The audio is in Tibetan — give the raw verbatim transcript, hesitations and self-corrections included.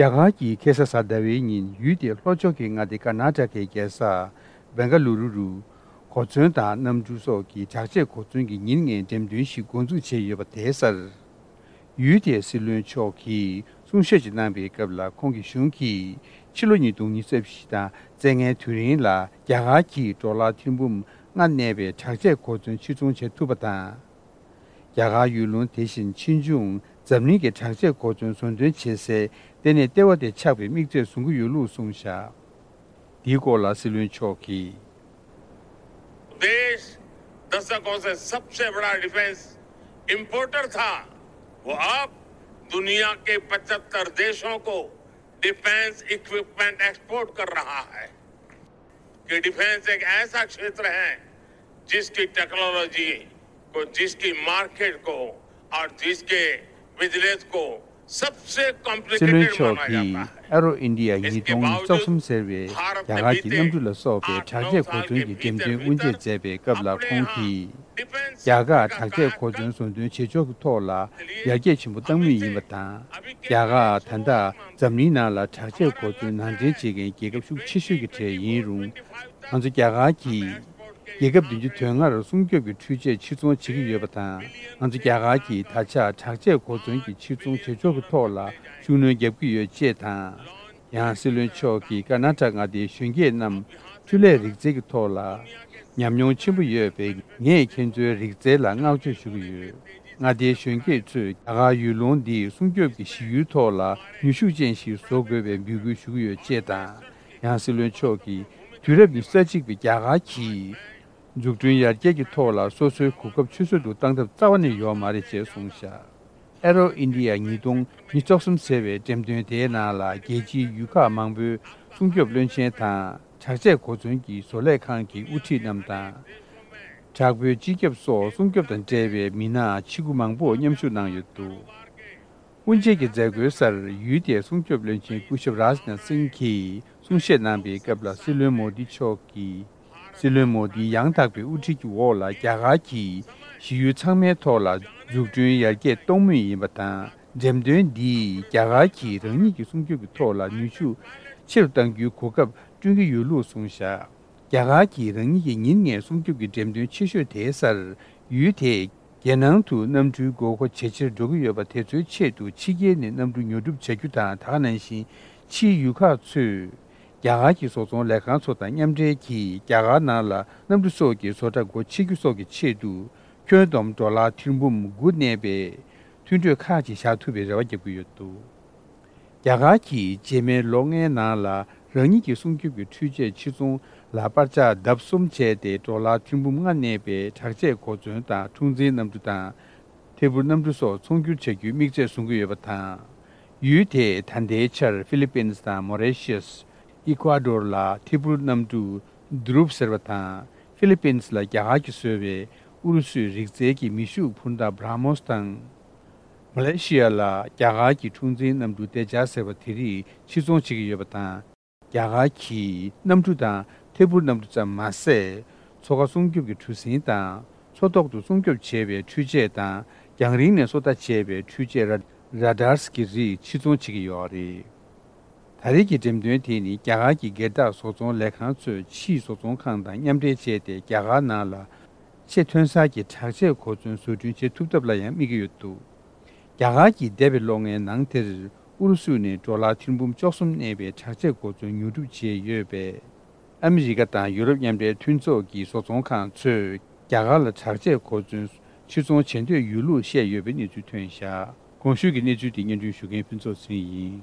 རྒྱ་གར་གྱིས་ཁ་སང་གཟའ་ཟླ་བའི་ཉིན་ཡུལ་དེའི་ལྷོ་ཕྱོགས་ཀྱི་མངའ་སྡེ་ཀར་ནཱ་ཊ་ཀའི་རྒྱལ་ས་བེང་ག་ལུ་རུ་རུ་གོ་མཚོན་དང་གནམ་གྲུ་སོགས་ཀྱི་དྲག་ཆས་གོ་མཚོན་གྱི་ཉིན་ལྔའི་འགྲེམས་སྟོན་ཞིག་འགོ་འཛུགས་བྱས་ཡོད་པ་དེའི་སར། ཡུལ་དེའི་སྲིད་བློན་མཆོག་གིས་གསུང་བཤད་ཅིག་གནང་པའི་སྐབས་ལ། ཁོང་གི་གཞུང་གིས་ཕྱི་ལོ་ཉིས་སྟོང་ཉི་ཤུ་རྩ་བཞི་དང་རྩ་ལྔའི་དུས་རིང་ལ་རྒྱ་གར་གྱིས་ཌོ་ལར་ཐེར་འབུམ་ལྔ་གནས་པའི་དྲག་ཆས་གོ་མཚོན་ཕྱིར་ཚོང་བྱེད་ཐུབ་པ་དང་། རྒྱ་གར་ཡུལ་ལུང་དེ་བཞིན་ཕྱིས་འབྱུང་འཛམ་གླིང་གི་དྲག་ཆས་གོ་མཚོན་བཟོ་འདོན་བྱེད་སའི་ལྟེ་གནས་ལྟེ་བ་དེ་ཆགས་པའི་དམིགས་ཚད་བཟུང་གི་ཡོད་ལུགས་གསུངས་བཞག་འདིའི་སྐོར་ལ་སྲིད་བློན་མཆོག་གིས། देश दशकों से सबसे बड़ा डिफेंस इंपोर्टर था, वो अब दुनिया के पचहत्तर देशों को डिफेंस इक्विपमेंट एक्सपोर्ट कर रहा है। कि डिफेंस एक ऐसा क्षेत्र है जिसकी टेक्नोलॉजी को, जिसकी मार्केट को और जिसके बिजनेस को सबसे སྲིད་བློན་कॉम्प्लिकेटेड མཆོག་माना གིས་जाता है। ཨེ་རོ་ཨིན་ཌི་ཡ་ཉིས་སྟོང་ཉི་ཤུ་རྩ་གསུམ་ཟེར་བའི་རྒྱ་གར་གྱི་གནམ་གྲུ་ལ་སོགས་པའི་དྲག་ཆས་གོ་མཚོན་གྱི་འགྲེམས་སྟོན་དབུ་འབྱེད་མཛད་པའི་སྐབས་ལ། ཁོང་གིས་རྒྱ་གར་དྲག་ཆས་གོ་མཚོན་བཟོ་འདོན་བྱེད་ཕྱོགས་ཀྱི་ཐོག་ལ་ཡར་རྒྱས་ཆེན་པོ་བཏང་མུས་ཡིན་པ་དང་། རྒྱ་གར་ད་ལྟ་འཛམ་གླིང་ནང་ལ་དྲག་ཆས་གོ་མཚོན་ནང་འདྲེན་བྱེད་མཁན་རྒྱལ་ཁབ་ཤུགས་ཆེ་ཤོས་ཀྱི་གྲས་ཡིན་རུང་། ང་ཚོ་རྒྱ་གར་གྱིས་རྒྱལ་ཁབ་བདུན་ཅུ་དོན་ལྔར་སྲུང་སྐྱོབ་ཀྱི་འཕྲུལ་ཆས་ཕྱིར་ཚོང་བྱེད་ཀྱི་ཡོད་པ་དང་། ང་ཚོ་རྒྱ་གར་གྱིས་ད་ཆ་དྲག་ཆས་གོ་མཚོན་གྱི་ཕྱིར་ཚོང་བྱེད་ཕྱོགས་ཀྱི་ཐོག་ལ་ཤུགས་སྣོན་རྒྱག་གི་ཡོད་ཅེས་དང་། ཡང་སྲིད་བློན་མཆོག་གིས་ཀར་ནཱ་ཊ་མངའ་སྡེའི་གཞོན་སྐྱེས་རྣམས་འཕྲུལ་ལས་རིག་རྩལ་གྱི་ཐོག་ལ་ཉམས་མྱོང་ཆེན་པོ་ཡོད་པས། ངས་ཁྱེད་ཚོའི་རིག་རྩལ་ལ་བསྔགས་བརྗོད་ཞུ་གི་ཡོད། མངའ་སྡེའི་གཞོན་སྐྱེས་ཚོས་རྒྱ་གར་ཡུལ་ལུང་འདིའི་སྲུང་སྐྱོབ་ཀྱི་གཞི་ཡུལ་ཐོག་ལ་ནུས་ཤུགས་ཅན་ཞིག་བཟོ་དགོས་པའི་འབོད་སྐུལ་ཞུ་གི་ཡོད་ཅེས་དང་། ཡང་སྲིད་བློན་མཆོག་གིས་དུས་རབས་ཉི་ཤུ་རྩ་གཅིག་པའི་རྒྱ་གར་གྱིས་འཛུགས་སྐྲུན་ཡར་རྒྱས་ཀྱི་ཐོག་ལ་སོ་སོའི་གོ་སྐབས་ཆུད་ཟོས་སུ་བཏང་ཐབས་རྩ་བ་ནས་ཡོད་མ་རེད་ཅེས་གསུངས་བཞག་ཨེ་རོ་ཨིན་ཌི་ཡ་ཉིས་སྟོང་ཉི་ཤུ་རྩ་གསུམ་ཟེར་བའི་འགྲེམས་སྟོན་དེའི་ནང་ལ་རྒྱལ་སྤྱིའི་ཡུལ་ཁག་མང་པོའི་སྲུང་སྐྱོབ་བློན་ཆེན་དང་། དྲག་ཆས་གོ་མཚོན་གྱི་བཟོ་ལས་ཁང་གི་དབུ་ཁྲིད་རྣམས་དང་། དྲག་པོའི་སྤྱི་ཁྱབ་སོགས་སྲུང་སྐྱོབ་དང་འབྲེལ་བའི་མི་སྣ་ཆེ་འགུ་མང་པོ་མཉམ་ཞུགས་གནང་ཡོད་འདུག་དབུ་འབྱེད་ཀྱི་མཛད་སྒོའི་སར་ཡུལ་དེའི་སྲུང་སྐྱོབ་བློན་ཆེན་སྐུ་ཞབས་རཱཇ་ནཱཐ་སིང་གིས་གསུང་བཤད་གནང་པའི་སྐབས་ལ། སྲིད་བློན་མོ་དི་མཆོག་གིས། སྲིད་བློན་མོ་དིའི་ཡང་དག་པའི་དབུ་ཁྲིད་ཀྱི་འོག་ལ་རྒྱ་གར་གྱིས་གཞི་ཡུལ་ཚང་མའི་ཐོག་ལ་འཛུགས་སྐྲུན་ཡར་རྒྱས་གཏོང་མུས་ཡིན་པ་དང་། འགྲེམས་སྟོན་འདིས་རྒྱ་གར་གྱིས་རང་ཉིད་ཀྱི་སྲུང་སྐྱོབ་ཀྱི་ཐོག་ལ་ནུས་ཤུགས་ཆེ་རུ་གཏང་རྒྱུའི་གོ་སྐབས་བསྐྲུན་གྱི་ཡོད་ལུགས་གསུངས་བཞག་རྒྱ་གར་གྱིས་རང་ཉིད་ཀྱི་ཉིན་ལྔའི་སྲུང་སྐྱོབ་ཀྱི་འགྲེམས་སྟོན་ཆེ་ཤོས་དེའི་སར་ཡུལ་དེས་རྒྱལ་ནང་དུ་གནམ་གྲུའི་དགོས་མཁོ་ཇེ་ཆེར་འགྲོ་གི་ཡོད་པ་དེ་ཚོའི་ཆེད་དུ་ཕྱི་རྒྱལ་ནས་གནམ་གྲུ་ཉོ་སྒྲུབ་བྱ་རྒྱུ་དང་། ད་ག་ནང་བཞིན་ཕྱིའི་ཡུལ་ཁག་ཚོས་རྒྱ་གར་གྱི་བཟོ་ཚོང་ལས་ཁང་ཚོ་དང་མཉམ་འབྲེལ་གྱིས་རྒྱ་གར་ནང་ལ་གནམ་གྲུ་སོགས་ཀྱི་བཟོ་གྲྭ་སྒོ་ཕྱེ་རྒྱུ་སོགས་ཀྱི་ཆེད་དུ་ཁྱོན་བསྡོམས་ཌོ་ལར་ཐེར་འབུམ་དགུ་གནས་པའི་མཐུན་གྲོས་ཁག་ཅིག་བཞག་ཐུབ་པའི་རེ་བ་བརྒྱབ་ཀྱི་ཡོད་འདུག་རྒྱ་གར་གྱིས་རྗེས་མའི་ལོ་ལྔའི་ནང་ལ་རང་ཉིད་ཀྱི་སྲུང་སྐྱོབ་ཀྱི་འཕྲུལ་ཆས་ཕྱིར་ཚོང་ལ་པར་ཆག་ལྡབ་གསུམ་བྱས་ཏེ། ཌོ་ལར་ཐེར་འབུམ་ལྔ་གནས་པའི་དྲག་ཆས་གོ་མཚོན་དང་། འཁྲུག་འཛིང་གནམ་གྲུ་དང་། ཐད་འཕུར་གནམ་གྲུ་སོགས་ཚོང་སྒྱུར་བྱ་རྒྱུའི་དམིགས་ཚད་བཟུང་གི་ཡོད་པ་དང་། ཡུལ་དེས་ད་ལྟའི་ཆར་ཧྥི་ལི་པིན་དང་མོ་རི་ཤི་ཡས། ཨི་ཀུ་ཨ་ཌོར་ལ་ཐད་འཕུར་གནམ་གྲུ་དུ་རུབ་ཟེར་བ་དང་། ཧྥི་ལི་པིན་ལ་རྒྱ་གར་གྱིས་བཟོས་པའི་ཨུ་རུ་སུའི་རིག་རྩལ་གྱི་མེ་ཤུགས་འཕུར་མདའ་བྷྲ་མོས་དང་། མ་ལེ་ཤི་ཡ་ལ་རྒྱ་གར་གྱི་འཁྲུག་འཛིང་གནམ་གྲུ་ཏེ་ཇཱས་ཟེར་བ་དེ་རིགས་ཕྱིར་ཚོང་བྱེད་ཀྱི་ཡོད་པ་དང་། རྒྱ་གར་གྱིས་གནམ་གྲུ་དང་ཐད་འཕུར་གནམ་གྲུ་ཙམ་མ་ཟད། མཚོ་ཁ་སྲུང་སྐྱོབ་ཀྱི་གྲུ་གཟིངས་དང་། མཚོ་ཐོག་ཏུ་སྲུང་སྐྱོབ་བྱེད་པའི་འཕྲུལ་ཆས་དང་། རྒྱང་རིང་ནས་སོ་ལྟ་བྱེད་པའི་འཕྲུལ་ཆས་ར་ར་ཌར་གྱི་རིགས་ཕྱིར་ཚོང་བྱེད་ཀྱི་ཡོད་རེད། ད་རེས་ཀྱི་འགྲེམས་སྟོན་དེ་ནི་རྒྱ་གར་གྱི་སྒེར་བདག་བཟོ་ཚོང་ལས་ཁང་ཚོས་ཕྱིའི་བཟོ་ཚོང་ཁང་དང་མཉམ་འབྲེལ་བྱས་ཏེ། རྒྱ་གར་ནང་ལ་ཆེས་ཐོན་གསར་གྱི་དྲག་ཆས་གོ་མཚོན་བཟོ་སྐྲུན་བྱེད་ཐུབ་ཐབས་ལ་ཡང་དམིགས་ཀྱི་ཡོད་འདུག་རྒྱ་གར་གྱིས་འདས་པའི་ལོ་ལྔའི་ནང་དེར་ཨུ་རུ་སུ་ནས་ཌོ་ལར་ཐེར་འབུམ་བཅུ་གསུམ་གནས་པའི་དྲག་ཆས་གོ་མཚོན་ཉོ་སྒྲུབ་བྱས་ཡོད་པས། ཨ་མི་རི་ཀ་དང་ཡུ་རོབ་མཉམ་འབྲེལ་མཐུན་ཚོགས་ཀྱི་བཟོ་ཚོང་ཁང་ཚོས་རྒྱ་གར་ལ་དྲག་ཆས་གོ་མཚོན་ཕྱིར་ཚོང་བྱེད་འདོད་ཡོད་ལུགས་བཤད་ཡོད་པའི་གནས་ཚུལ་ཐོན་བཞག་གོང་ཞུས་ཀྱི་གནས་ཚུལ་དེ་སྙན་སྒྲོན་ཞུ་མཁན་ཕུན་ཚོགས་ཚེ་རིང་ཡིན།